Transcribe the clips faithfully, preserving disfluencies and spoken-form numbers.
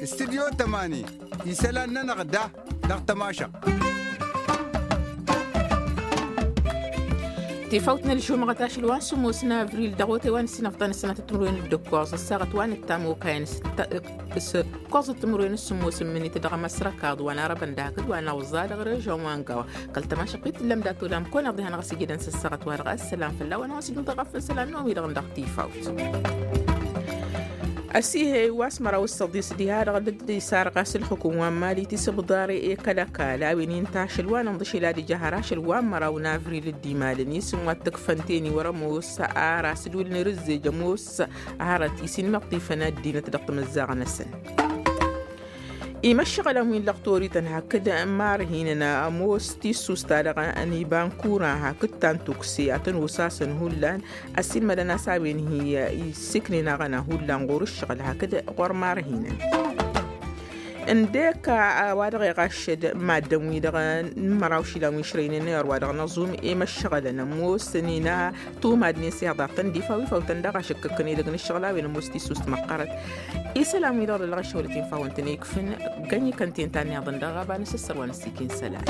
Studyo tămani isălan-nănăɣ da dăɣ-tămašăɣt. Tifawt n-ălžumăɣăt ašăl wa n-sǝmmos n-avril dăɣ-otay wa n-ǝssinăfḍan ăssănatăt timǝrwen d-ǝkkoẓ ăssaɣăt wa n-ǝttam okayăn s-ǝkkoẓăt timǝrwen s-sǝmmos n-imǝnit dăɣ-amăsrăkaḍ wa n-arăbăn d-hakd wa n-awẓa dăɣ-režăn wa n-gawa. Kăl-tămašăɣt-t tǝllăm dat-olam kăwăn-iḍihăn ɣas ijădăn s-ăssaɣăt wa dăɣ-ăssălam fălla-wen a-wa s-dd-nǝḍa ɣăf n-isălan n-omi-dăɣ dăɣ-tifawt. Ăsihey wa s-măraw s-săḍis diha-dăɣ dd-isarɣas ǝlxǝkum wa n-mali tisǝbḍare i-kăl-ăkall a-wen inta ašăl wa n-ǝnḍǝšel ad-ija har ašăl wa n-măraw n-avril dd-imalăn isǝm wa t-ǝkfăn teni wăr-ămoos. Ar asǝdul n-irǝzzej ămoos hărăt isinmăṭṭifăn ăddinăt dăɣ-timǝzzaɣ-năsăn. Imăššăɣălăn wi n-lăɣtorităn hakd marhinăn ămoos tissust-ta-dăɣ n-ibankura hakd ta n-tukse ad-tăn-osasăn hullan. Ăssiilmădăn a-s a-wen hi-issǝknen aɣăna hullan ɣur-ǝššăɣǝl hakd ɣur-marhinăn. Ǝndek a-wa dăɣ-iɣaššăd maddǝn-wi-dăɣ n-măraw išilan wi ǝšrăynen i-ărwa dăɣ-năẓum i-imăššăɣălăn ămoos ănina tumadnen s-ihaḍartăn d-ifaw ifaw-tăn daɣ ašăkkăkkăn edăgg n-ǝššăɣǝl a-wen ămoos tissust măqqărăt. Isălan-wi-dăɣ dăɣ-lăɣăššăwălăt infawăn-tăn ikfǝn gănyi kănten ta n-ihaḍăn dăɣ-ɣaba n-asǝssărwa n-ăssikin isălan.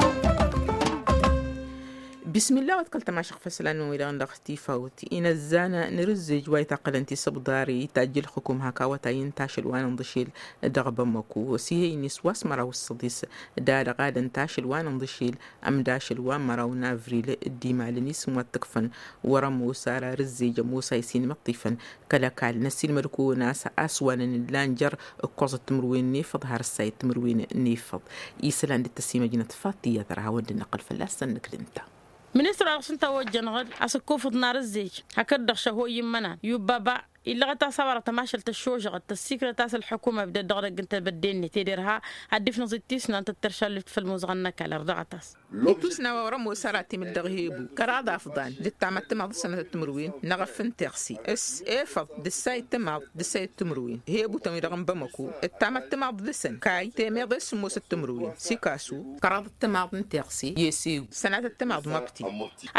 Bismillah wa t-kăl-tămašăɣ făslan-wi-dăɣ dăɣ-tifawt inăzzan n-irǝzzej wa itaqqălăn tisǝbḍare itajj ǝlxǝkum hak awătay n-tašăl wa n-inḍǝšel dăɣ-bamăku s-ihăynis wa s-măraw s-săḍis. Dadăɣ ad-ǝnta ašăl wa n-inḍǝšel ămdašăl wa n-măraw n-avril dd-imalăn isǝm wa t-ǝkfăn wăr-ămoos ara rǝzzej ămoos a isinmăṭṭifăn. Kăl-ăkall năssiilmăd-kăwăn a-s a-s wa n-ǝnǝllan jer-ǝkkoẓăt timǝrwen n-efăḍ har ǝssayăt timǝrwen n-efăḍ. Isălan dd-tăsimăjnăt faṭ iyyăt ar hawăn-dd-năqqăl fălla-săn nǝkd ǝnta. Ministăr wa dăɣ-s ǝnta a ojjănăɣ-dd a-s ǝkkufăḍ n-arǝzzej hakd-dăɣ šăhoy immănan i-ubbaba illăɣăt a-s a-wa dăɣ-tămašăl tăššožăɣăt tăssikrăt a-s ălḥukuma ibdăd dăɣ-edăgg n-tebădde-net ed irha ad-dd-ifnăẓ d-tisnant d-teršallift făll-imuzăɣăn n-ăkall ărdăɣăt-as. Itus n-a-wa wăr-ămoos ara timǝl dăɣ-hebu kăraḍ afḍan d-ǝttamăt timaḍ d-sănatăt timǝrwen n-eɣăf n-teɣse s-efăḍ d-ǝssayăt timaḍ d-ǝssayăt timǝrwen. Hebutăn-wi-dăɣ n-bamăko ǝttamăt timaḍ dăɣ-săn kay temeḍe s-sǝmmosăt timǝrwen sikasu kăraḍăt timaḍ n-teɣse i-esegu sănatăt timaḍ măbti.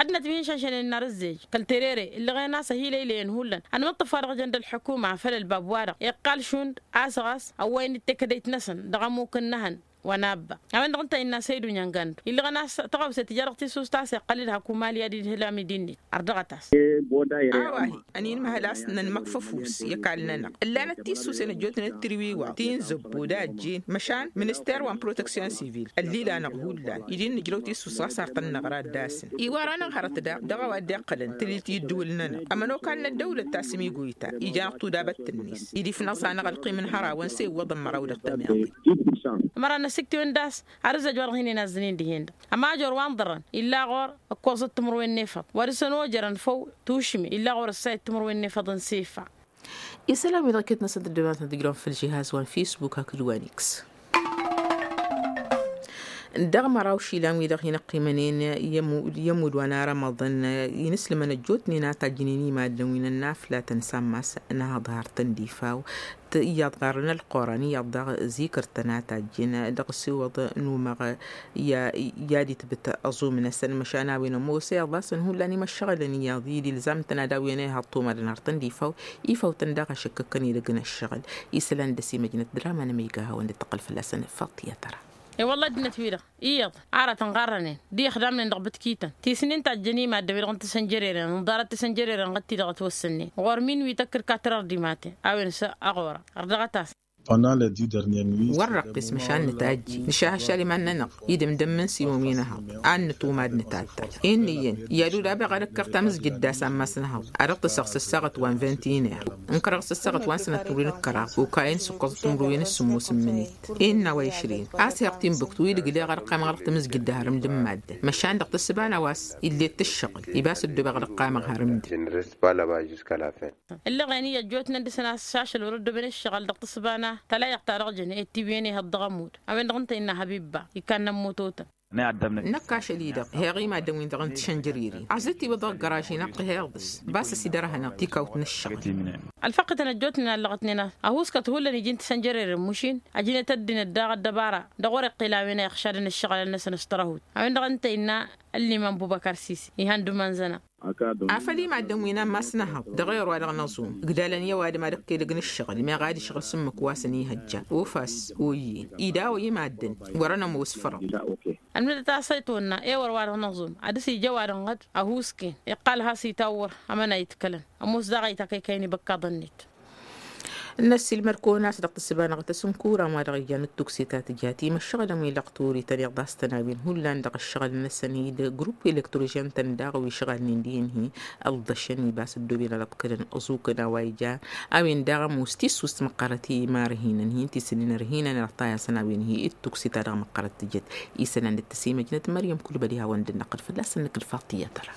Ad-năt wi n-išănšănen n-arǝzzej kăl-terere ǝllăɣen a-s ăhilăylăyăn hullan ănmǝṭṭǝf wa dăɣ-jăn d-ălḥukuma făll-ălbab-wa-dăɣ iqqal šund a-s ɣas ăwwayăn d-tekădăyt-năsăn dăɣ-ămuk n-năhăn. Wa n-abba a-wen-dăɣ ǝnta innă săydu n-iăngand illăɣăn a-s tăɣawse tǝja dăɣ-tissust a-s iqqăl-dd hak umali ad-idhǝl amidi-net ărdăɣăt-as. A-wa-hi ăninmăhăl a-s nănmăkf ăfuss i-ăkall-nănăɣ ǝllanăt tissusen ăjjootnen d-tirwiwaw ti n-zăbbo d-ajjen măšan minister wa n-proteksyon sivil ăllilanăɣ hullan idi n-nǝjrăw tissus ɣas ar tăn-năɣra d-asǝn iwar-anăɣ hărăt daɣ dăɣ-a-wa dd-iqqălăn tǝlit i-ǝddǝwǝl-nănăɣ ămănokal n-ăddăwlăt tasǝmigoyta ijan d-tudabăt-net. Id-ifnăẓ-anăɣ ălqim n-hărawăn s-e iwwăḍăn măraw dăɣ-tămiḍe. Ămăra n-ăsǝktiwăn d-ass har ǝzzăj wa dăɣ-hin-inazzǝnen dihen-dăɣ ămajor wa n-ḍărrăn illa ɣur-ǝkkoẓăt timǝrwen n-efăḍ wa dăɣ-săn ojărăn făw tušme illa ɣur-ǝssayăt timǝrwen n-efăḍ n-sefa. Isălan-wi-dăɣ iket-năsăn tăddobantăn tǝjrăwăn făll-žihaz wa n-fisbuk hakd wa n-iks. Dăɣ-măraw išilan-wi-dăɣ hin-ăqqimănen i-ămudd wa n-arămăḍăn inǝslǝmăn ăjjootnen a tajjǝnen i-maddǝn wi n-ănnaflatăn sammas n-ahăḍhar-tăn d-ifaw. Iyyăḍ ɣarrăn ălqoran iyyăḍ daɣ zikăr-tăn a tajjǝn dăɣ-s iwăḍ n-umăɣ i-ad-itbǝt aẓum-năsăn măšan a-wen ămoos iyyăḍ a-s ănhullan imăššăɣǝlăn iyyăḍ i-dd-ilzam-tăn ad-awǝyăn ihăḍ tumadăn har tăn-dd-ifaw. Ifawtăn daɣ ašăkkăkkăn edăgg n-ǝššăɣǝl isălan d-ăsimăjnăt d-ramăn ămăyga a hawăn-dd-tăqqăl fălla-săn faṭ i-ad-tăra. E-wălla ăddinăt-wi-dăɣ iyyăḍ ara tănɣarrănen d-ixdamnen dăɣ-bǝtkităn tisnin tajjăn i-maddǝn-wi-dăɣ n-tisănjărerăn ǝnḍarăt tisănjărerăn ɣǝtti-dăɣ ătwăssănnen ɣur-min wi tăkkǝd katăr ărdimaten a-wen s-ăɣora ărdăɣăt-as. Wăr-răqqis măšan nǝtajji nǝšah ašăl iman-nănăɣ idǝmdăm n-siwăm-i n-ehăḍ ad-nǝtumad nǝtattăl. Inn'-iyyăn i-ad-udabeɣ ad-ǝkkăr tamǝzjǝd d-asammas n-ehăḍ ad-dăɣ-tǝsăɣ s-ăssaɣăt wa n-vinti-iner ǝnkărăɣ s-ăssaɣăt wa n-sănăt timǝrwen d-kăraḍ okayăn s-ǝkkoẓăt timǝrwen s-sǝmmos n-imǝnit. Innă wa išrin a-s heɣ timbuktu idǝgleɣ ad-ăqqamăɣ dăɣ-tamǝzjǝd d-harǝm d-imadden măšan dăɣ-tǝssǝba n-a-wa s-illet-t ǝššăɣǝl ibas ăddoobeɣ ad-ăqqamăɣ harǝm-dd. Ǝllăɣen-i ăjjootnen dăɣ-săn a-s ašăl wăr-ăddooben ǝššăɣǝl dăɣ-tǝssǝba n-a tălayăɣ ta dăɣ-jăn i-tiwǝyăn ihăḍ dăɣ-ămudd a-wen-dăɣ ǝnta innă habibba ikannăn mutotăn. Năkk ašăl-i-dăɣ heɣ i-maddǝn-win-dăɣ n-tišănjăriri. Aẓǝt-iwǝḍ ɣ-găraž-i n-ăṭṭihăyăḍ s-basăs-i dăr-ehănăɣ tikawt n-ǝššăɣǝl. Ălfăqqǝtăn ăjjootnen a ǝllăɣătnen ăhuuskăt hullan iji n-tišănjăriri n-mušin. Ăjnet ăddinăt daɣ ăddăbara dăɣ-wăr-iqqǝl a-wen a iɣšadăn ǝššăɣǝlăn-năsăn s-tărăhut a-wen-dăɣ ǝnta innă ăllimăn bubăkăr sisi ihăn d-iman-zănăɣ. Afăl i-maddǝn wi n-ammas n-ehăḍ dăɣ-ewăr wa dăɣ-năẓum ǝgdalăn i-ăwadǝm ad-ǝqqǝlăg n-ǝššăɣǝl meɣ ad-išɣǝl s-ǝmmǝk wa săn-ihăjja. Ofas oyyǝn idaw-i maddǝn wăr-ănămoos fărăḍ. Ălmǝdăt a-s ăytonna ewăr wa dăɣ-năẓum ad-dăr-s ija ăwadǝm ɣǝd ăhuusken iqqal has-itawwăr. Ămănayǝt kălăn ămoos daɣ a itakăykăyăn ibăkkaḍăn-net. N-ăssiilmăd kăwăn-as dăɣ-tǝssǝba-năɣ tăsǝnkuran wa dăɣ-ijan d-tukse ta tǝja timăššăɣlăn wi lăqturi tăn-iḍas-tăn a-wen hullan dăɣ-ǝššăɣǝl-năsăn-i d-grupp elektrožen-tăn daɣ wi šɣalnen d-inhi ălḍăšăn ibas ăddooben ad-ăḍkădăn ăẓukăn a-wa ija. A-wen daɣ ămoos tissust măqqărăt i-imarhinăn hin-tisǝnnin ărhinăn ălṭayasăn a-wen hi-dd-tukse ta dăɣ-măqqărăt tǝjăt. Isălan d-tăsimăjnăt măryăm kulbăli hawăn-dd-năqqăl fălla-săn nǝkǝl faṭiyăt ăra.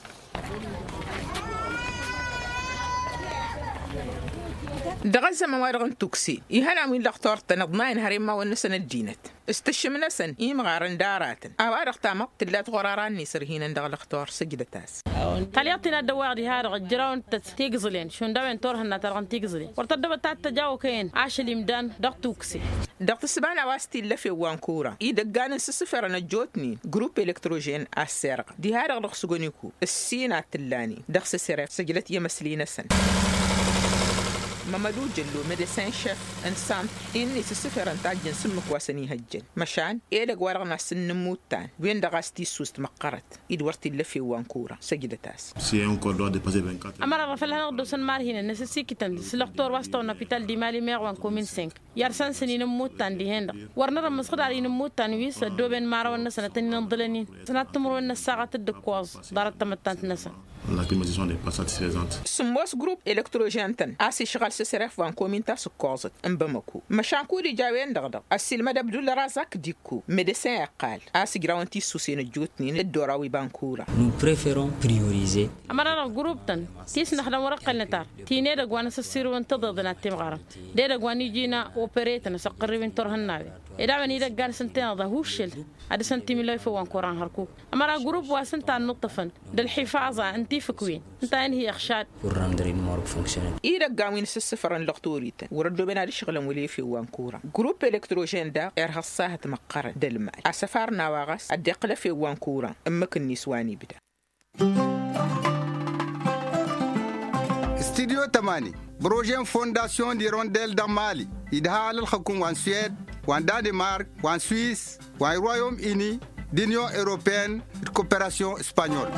Dăɣ-ăzzăman-wa-dăɣ n-tukse ihănan wi n-lăxtor-tăn ǝḍnayăn hăremmawăn-năsăn ăddinăt s-tǝššǝm-năsăn imɣarăn d-aratăn a-wa-dăɣ tamăḍt tǝllat ɣur-ara-net ărhinăn dăɣ-lăxtor săjdăt-as. Talyaḍt-in ad-dăwwaɣ diha dăɣ-ǝjjăraw n-tăt tigǝẓǝlen šund a-wen turhǝnna ta dăɣ-n tigǝẓǝlen wăr tăddăbăt ad-tăj awăkăyăn ašăl imdan dăɣ-tukse. Dăɣ-tǝssǝba n-a-wa s-t-illa efew wa n-kura idăggan n-sǝssǝfărăn ăjjootnen grupp elektrožen a ăssirɣăt diha-dăɣ dăɣ-sugăniku ǝssin ad-t-ǝllanen dăɣ-săsref săjdăt i-emăsli-năsăn. Mămădu jăllo medecin šef n-sant-i n-isǝssǝfărăn tajjăn s-ǝmmǝk wa săn-ihăjjăn măšan edăgg-wa-dăɣ n-asǝnnǝmmuttan wen-dăɣ a-s tissust măqqărăt. I-dd-wăr t-illa efew wa n-kura săjdăt-as. Ămăra ɣăr făll-hanăɣ-dd-osăn marhinăn n-asǝssikǝtăn s-lăxtor wa s-tawăn opital d-imali meɣ wa n-komin sink i-ad-săn-săn inǝmmuttan dihen-dăɣ wăr nărămmăs ɣǝd ar inǝmmuttan wi s-ăddooben imărawăn-năsăn ad-tăn-inǝnḍǝlăn-in sănat timǝrwen n-ăssaɣăt d-ǝkkoẓ ḍarăt tamăttant-năsăn. Sǝmmos grupp elektrožen-tăn a-s išɣăl s-asref wa n-komin ta s-ǝkkoẓăt n-bamăko măšan kud-ija a-wen-dăɣ dăɣ-ăssiilmăd abdul razak d-ikko medesin iqqal a-s ǝjrawăn tissusen ăjjootnen dd-oraw iba n-kura. Ămăra-dăɣ grupp-tăn ti s-năxdăm wăr-ăqqălnăt ar ti n-edăgg wa n-asǝssirǝw n-tiḍeḍen ad-timɣarăm d-edăgg wa n-iji n-operetăn asăqqărriw-in turhǝnnawen ed a-wen idăggan s-ǝntăneḍ ăhuššăl ad-dăr-săn timǝlwa ifăw wa n-kura n-hărkuk. Ămăra grupp wa s-ǝnta a ǝnnǝṭṭăfăn d-ălḥifaẓa n-tifǝkwen ǝnta a inhǝy ăxšad. Idăggan wi n-asǝssǝfărăn lăxtorităn wăr-ăddooben ad-ǝšɣǝlăn wăla efew wa n-kura grupp elektrožen daɣ irha ăṣṣahăt măqqărăn d-ălmal asăfar n-a-wa ɣas ad-dd-iqqǝl efew wa n-kura ǝmmǝk-net wa n-ibda. Studyo tămani prože n-fondasyon d-irondel dăɣ-mali idha alălxăkun wa n-suwed wa n-danimark wa n-suwis wa n-royom ini d-inyon europeyăn d-koperasyon spanyol.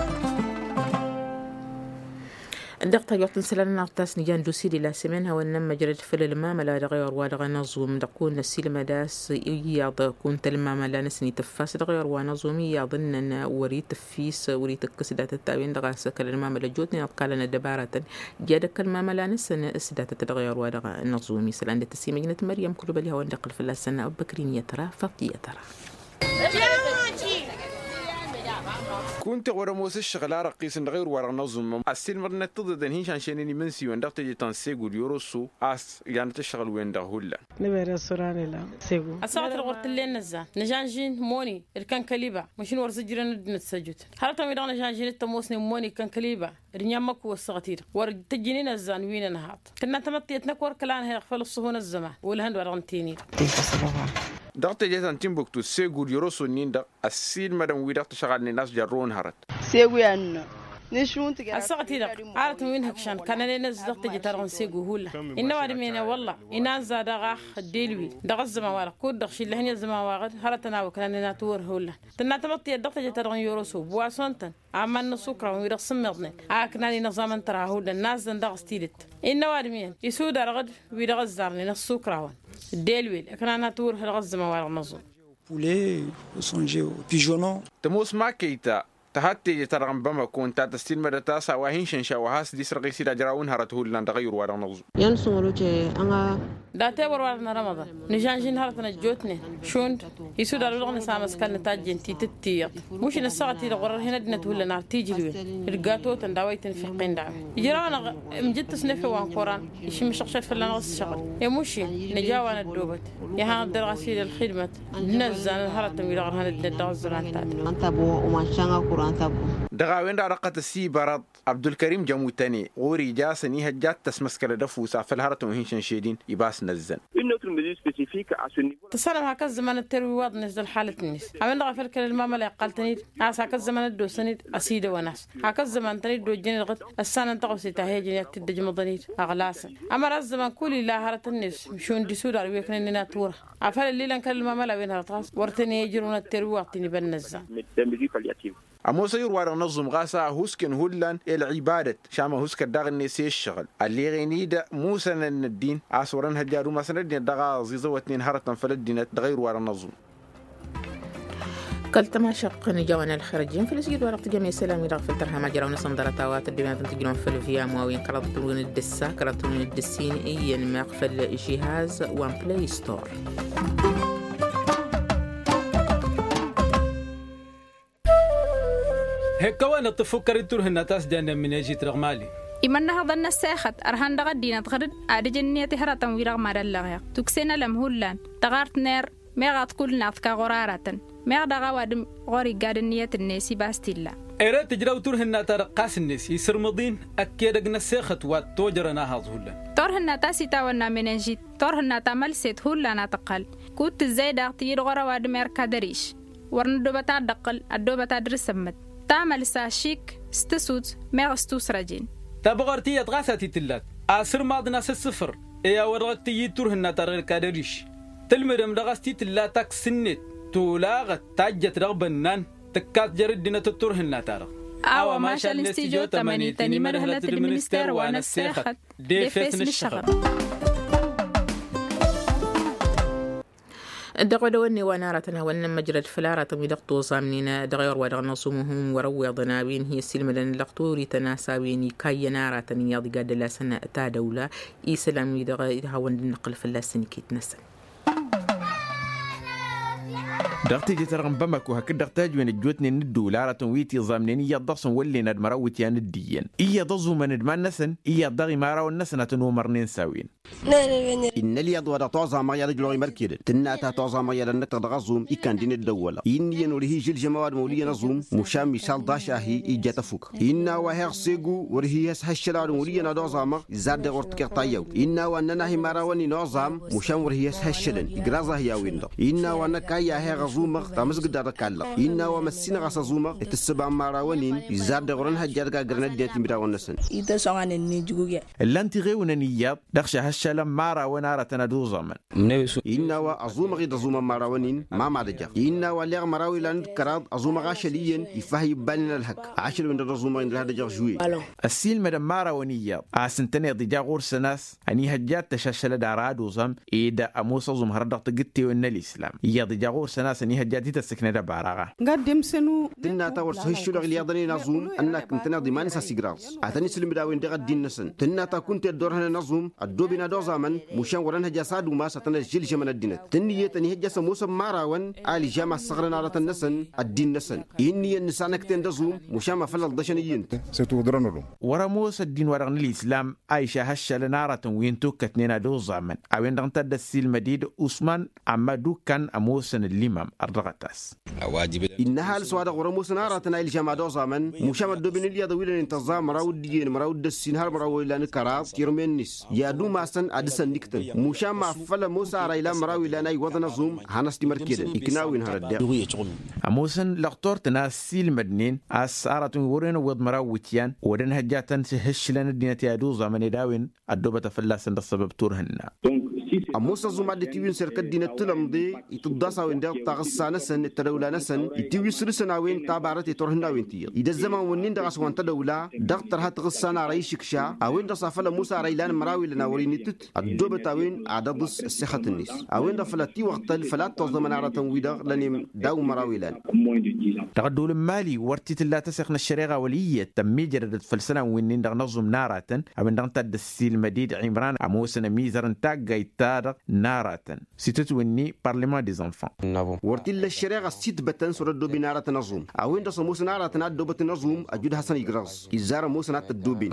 Dăɣ-tajwăḍt n-isălan n-aɣtas n-ijan dusi di la sămen hawăn-nămmăjrăd făll-ălmamăla dăɣ-ewăr wa dăɣ-năẓum dăɣ-kăwăn-năsilmăd a-s iyyăḍ kunta ălmamăla n-asăn itǝffas dăɣ-ewăr wa năẓum iyyăḍ ǝnnăn wăr-itǝffis wăr-itǝkkǝs datăt a-wen-dăɣ a-s ăkall ălmamăla ăjjootnen ăḍkalăn ăddăbaratăn. Jadăk ălmamăla n-asăn s-datăt dăɣ-ewăr wa dăɣ-năẓum isălan d-tăsimăjnăt măryăm kulbăli hawăn-dd-iqqǝl fălla-săn abăkrin i-ătra faṭi i-ătra. Kunta ɣur-ămoos ǝššăɣǝl arăqqisăn dăɣ-ewăr wa dăɣ-năẓum ăssiilmăḍnăt tiḍeḍen hin-šanšăynen imǝnsiwăn dăɣ-teje ta n-segu d-yoroso a-s janăt ǝššăɣǝl-wen-dăɣ hullan. Ăssaɣăt-dăɣ wăr t-ǝllen nǝzzan nǝžanžin moni d-kănkăliba măšin wăr zǝjrăn ăddinăt s-ăjut hărătăn-wi-dăɣ nǝžanžin d-tămoosnen moni d-kănkăliba. D-inyămmăk wăr săɣăt-i-dăɣ wăr tăjjǝnen ăzzan wi n-ănhaḍ tǝnna tamăḍt tiyyăt năkk wăr kăla nǝhăyăɣ făll-ăṣṣuhu n-ăzzăman. Olăhăn d-wa-dăɣ n-tini-dăɣ. Dăɣ-teje ta n-timbuktu segu d-yoroso-nin-dăɣ ăssiilmădăn wi-dăɣ tǝšɣalnen a-s jarrăwăn hărăt. Segu i-ad-nǝnnă. Ăssaɣăt-i-dăɣ arătăn wi n-ihǝkšan kannănen ăzzăɣ teje-ta-dăɣ n-segu hullan. Innă ăwadǝm-en wălla inanza dăɣ-ax ăddel-wi-dăɣ ăzzăman-wa-dăɣ kud-dăɣ šillăhăn i-ăzzăman-wa-dăɣ hărătăn a-wa ǝknanen a tiwărhǝwăn. Tǝnna tamăḍt tiyyăt dăɣ-teje-ta-dăɣ n-yoroso buwasăn-tăn aman n-ăṣṣukra wi-dăɣ s-ǝmmiḍnen a ǝknanen iẓamăn tăra hullan nazzăn daɣ s-tidǝt. Innă ăwadǝm-en isudar ɣǝd wi-dăɣ ăzzarnen ăṣṣukrawăn. Dd-elwel ǝknan a tiwărhǝl ɣǝzzămăn wa-dăɣ n-aẓum. Tămoos makăyta. Tăhadd teje-ta-dăɣ n-bamako ǝnta a tăssiilmădăt a-s a-wa hin-šănša wa has-dd-isrăɣ i-sidaj rawǝn hărăt hullan dăɣ-ayǝr-wa-dăɣ n-aẓum. Datewăr-wa-dăɣ n-rămăḍan nǝžănžin hărătăn ăjjootnen šund isudal wa dăɣ-nǝsamăskăl nǝtajjen titǝttǝyyăḍ. Mušǝn ăssaɣăt-i-dăɣ wăr-ărhen ăddinăt hullan ar tijǝlwen d-gatotăn d-a-wa itǝnfǝqqen d-a-wen ijraw-anăɣ. Imjǝttǝs n-efew wa n-koran išǝmmǝšăɣšăt fălla-năɣ s-šăɣǝl i-mušǝn nǝj'-a-wa năddoobăt. Iha n-ăddăr ɣas-i d-ălxidmăt d-inăzzan n-hărătăn-wi-dăɣ ărhăn ăddinăt dăɣ-ăzzăman-ta-dăɣ. Ănta ăbo uman šan akur ănta ăbo. Dăɣ-a-wen-dăɣ a dăɣ-tăsibărăḍ abdulkărim jămutăne ɣur-ija a-s ănihăjja ad-tăsmăskălăd ăfusa făll-hărătăn wi hin-šănšedin. Ibas n-ăzzăn. Tăssanăm hak ăzzăman ătterwi iwaḍ-net d-ălxalăt-net. A-wen-dăɣ a făl kăl-ălmamăla iqqal-tăn-dd a-s hak ăzzăman ăddoosăn-dd ăsidăwăn-as. Hak ăzzăman tăn-dd-ojjăn-dd dăɣ-t ăssanăn taɣose ta he-ǝjăn i-ad-t-dd-ăj măḍăn-dd ăɣlasăn. Ămăra ăzzăman kull illa hărătăn-net šund isudar wi ăknănnen a tura. Afăl ăllilăn kăl-ălmamăla wen hărăt ɣas wăr tăn-e-ǝjrǝwăn ătterwi iwaḍ-t-in iba n-inăzzan. Ămoos ayǝr-wa-dăɣ n-ăẓum ɣas a ăhuusken hullan i-ălɣibadăt šam ăhuuskăt daɣ-net i-ǝššăɣǝl ălleɣen-i-dd musănăn n-ăddin a-s wăr-ănhăjja ad-umasăn ăddinăt dăɣ-aẓiẓăwătnen hărătăn făll-ăddinăt dăɣ-ayǝr-wa-dăɣ n-ăẓum. Kăl-tămašăɣt n-ija-wen ălxer ăjjeen făll-asjid wa dăɣ-tǝjăm i-isălan-wi-dăɣ făll-tărha majăraw-năsăn ḍarăt a-wa tăddoben ad-tǝjrǝwăn făll-viyam wa wen kăraḍ tǝrǝwăn d-ǝssa kăraḍ tǝrǝwăn d-ǝssin iyyăn meɣ făll-žihaz wa n-play store. Hekk a-wa nǝṭṭǝf fukkăr-i d-turhǝnna ta s-jannen mǝnežit dăɣ-mali. Imănnăhăḍăn n-ăssexăt ărhan dăɣ-ăddinăt ɣǝr-dd ad-ǝjǝn ǝnniyăt i-hărătăn-wi-dăɣ mad-ăllăɣeɣ tuksen ălăm hullan tăɣart n-er meɣ ad-t-kull naḍka ɣur-aratăn meɣ daɣ ăwadǝm ɣur-iggad ǝnniyăt-net ibas t-illa. Ere tǝjraw turhǝnna-ta-dăɣ ɣas-net isǝrmǝḍ-in ăkk edăgg n-ăssexăt wa t-tojărăn ahaẓ hullan. Turhǝnna ta s-itawănna mănănžit turhǝnna ta mălset hullan a tǝqqăl kud-tǝzzay daɣ tǝyyǝd ɣur-ăwadǝm erk ad-ăriš. Wăr nǝddoobăt ad-dd-ăqqǝl ăddoobăt ad-dăr-sămmăt tamălsa šik s-tǝsut meɣ s-tusrăjen. Tabăɣart iyyăḍ ɣas a t-tǝllat asǝrmaḍ n-asǝssǝfăr i-a-wa dăɣ-t-tǝyyǝd turhǝnna-ta-dăɣ erk ad-ăriš. Tǝlmǝdăm dăɣ-s t-tǝlla taksǝnnet tolaɣăt tajjăt dăɣ-bănnan tǝkkat jer-ăddinăt d-turhǝnna-ta-dăɣ. A-wa mašal n-stijo tămăni tăn-imădhǝlăt d-minister wa n-ăssexăt d-efes n-ǝššăɣăb. Dăɣ-odăwănne wa n-aratăn hawăn-nămmăjrăd făll-aratăn-wi-dăɣ tuẓamnen dăɣ-ewăr wa dăɣ-năẓumuhǝm wăr-ăwweḍăn a-wen hi-ăssiilmădăn lăqturităn a-s a-wen ikayyăn aratăn iyyăḍ iga dd-ălasăn tadăwla isălan-wi-dăɣ hawăn-dd-năqqǝl fălla-săn iket-năsăn. Dăɣ-teje-ta-dăɣ n-bamako hakd-dăɣ tajwen ăjjootnen n-ǝddǝwǝl aratăn wi tiẓamnen iyyăḍ dăɣ-săn wăllen ad-măraw iwǝtyan dd-iyyăn iyyăḍ ăẓumăn d-iman-năsăn iyyăḍ dăɣ-imărawăn-năsăn ad-tăn-omărnen s-a-wen. Innă ălyaḍ wa dăɣ-tuẓamăɣ i-ad-ăjrăwăɣ imărkedăn tǝnna ta tuẓamăɣ i-ad-ănnăktăɣ dăɣ-aẓum ikan-dd-in dd-ăwwălăɣ innă iyyăn wăr-hi-žǝlžăm ăwadǝm ăwlǝyyăn aẓum. Mušan mišal ḍašahi ijja tăfuk innă a-wa heɣ segu wăr-hi-ăshăššăl ăwadǝm ăwlǝyyăn ad-oẓamăɣ izzar deɣ wăr tǝkeɣ tayyawt innă a-wa ǝnnăn-ahi imărawăn-in oẓam. Mušan wăr-hi-ăshăššălăn igraẓ-ahi a-wen-dăɣ innă a-wa năkk a iyya heɣ ăẓumăɣ tamǝzgǝd-ta-dăɣ kallăɣ innă a-wa măssinăɣ a-s ăẓumăɣ itǝssǝba n-imărawăn-in izzar deɣ wăr-ănhăjja ad-gaggărăn ăddinăt n-imǝdawăn-năsăn. Ǝllan-t iɣewǝnăn iyyăḍ dăɣ-šahăššalăn imărawăn aratăn ad-oẓamăn. Innă a-wa ăẓumăɣ-dd ăẓumăn imărawăn-in ma mad-ăjăɣ innă a-wa ălleɣ măraw ilan d-kăraḍ ăẓumăɣ ašăl iyyăn iffah i-ǝbbanen ălhăkk. Ašăl-wen-dăɣ d-ăẓumăɣ-in dăr-had-ăjăɣ žuwe. Ăssiilmădăn imărawăn iyyăḍ a-s ǝntăneḍ ija ɣur-săn a-s ănihăjja ad-t-ăšašălăd ara ad-oẓam ed ămoos ăẓum hărăt dăɣ-tǝgǝttewen n-ălislam iyyăḍ ija ɣur-săn a-s ănihăjja ad-t-tăssǝknăd ăbaraɣa. Tǝnna ta wăr s-hǝššǝlăɣ ǝlyaḍăn-in ăẓum ănnăk ǝntăneḍ iman-s a-s igraẓ ad-tăn-isǝlmǝd a-wen-dăɣ ăddin-năsăn tǝnna ta kunta i-ăddoorhănăn ăẓum ăddooben ad-oẓamăn. Mušan wăr-ănhăj a-s ad-umas ad-tăn-ăžžǝlžămăn ăddinăt tǝnniyăt ănihăjja a-s ămoosăn imărawăn a ǝlžam a ǝssăɣrăn aratăn-năsăn. Ăddin-năsăn innă iyyăn nǝsanăkten d-aẓum mušan ma făl ălḍăšăn iyyăn-t. Wăr-ămoos ăddin-wa-dăɣ n-ălislam a išahăššălăn aratăn wi n-tukkătnen ad-oẓamăn a-wen-dăɣ ǝnta a dd-ăssiilmăd-dd usman amma dukkan ămoosăn ăllimam ărdăɣăt-as. Innă ăhalǝs wa dăɣ-wăr-ămoosăn aratăn a ilžam ad-oẓamăn mušam ăddooben ǝlyaḍăn wi lănen tăẓẓa măraw d-iyyăn măraw d-ǝssin har măraw wa ilan kăraḍ tirmen-net i-ad-umasăn ad-dăr-săn niktăn. Mušam ma făl ămoos ara ilan măraw ilan a iwwăḍăn ăẓum hanăs-t imărkedăn ikna a-wen hărăt deɣ. Ămoosăn lăqtor-tăn a ăssiilmădnen a-s aratăn wi wăren ăwweḍ măraw iwǝtyan wăr-ănhăjja ad-tăn-hǝššǝlăn ăddinăt i-ad-oẓamăn ed a-wen ăddoobăt a fălla-săn dăɣ-săbăb turhǝnna. Ămoos ăẓum ad-dd-tiwǝnsăr kăddinăt tǝlămḍe itǝḍḍas a-wen-dăɣ taɣǝs. Ɣǝssa-năsăn d-tădăwla-năsăn itiwǝy săr-săn a-wen tabarăt i-turhǝnnawen ti-iyyăḍ idăzzăman-wǝnnin-dăɣ a-s wa n-tădăwla dăɣ-tărha taɣǝssa n-ara išǝkša a-wen-dăɣ s-afăl ămoos ara ilan măraw ilan a wăr-inǝtǝt ăddoobăt a-wen ad-ăḍǝs ăssexăt-net a-wen-dăɣ făl ad-t-iwăɣtăl făl ad-t-ăẓẓămăn aratăn-wi-dăɣ lănem daw-măraw ilan. Dăɣ-ăddool n-imali wăr t-tǝlla tăseɣt n-ăššăreɣa wăl' iyyăt tămmijrădăt făll-isălan wi-nin-dăɣ n-aẓum n-aratăn a-wen-dăɣ ǝnta a dd-ăssiilmăd-dd imran ămoosăn ămizăr n-taggayt-ta-dăɣ n-aratăn s-itǝtwǝnni parlăman des enfants. Wăr t-illa ăššăreɣa s-itbătăn s-wăr-ăddooben aratăn aẓum a-wen-dăɣ s-ămoosăn aratăn a ăddoobătnen aẓum ăjud hasăn-ijrăẓ izzar ămoosăn ad-t-ăddooben.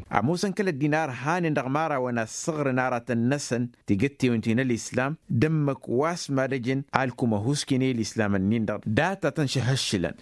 Amăsăn kăl-ăddin ar hanen dăɣ-imărawăn assăɣrăn aratăn-năsăn tigǝttewen ti n-ălislam d-ǝmmǝk wa s-mad-ăjăn alkum ăhuusken i-ălislam-ǝnnin-dăɣ datatăn šăhăššǝlăn.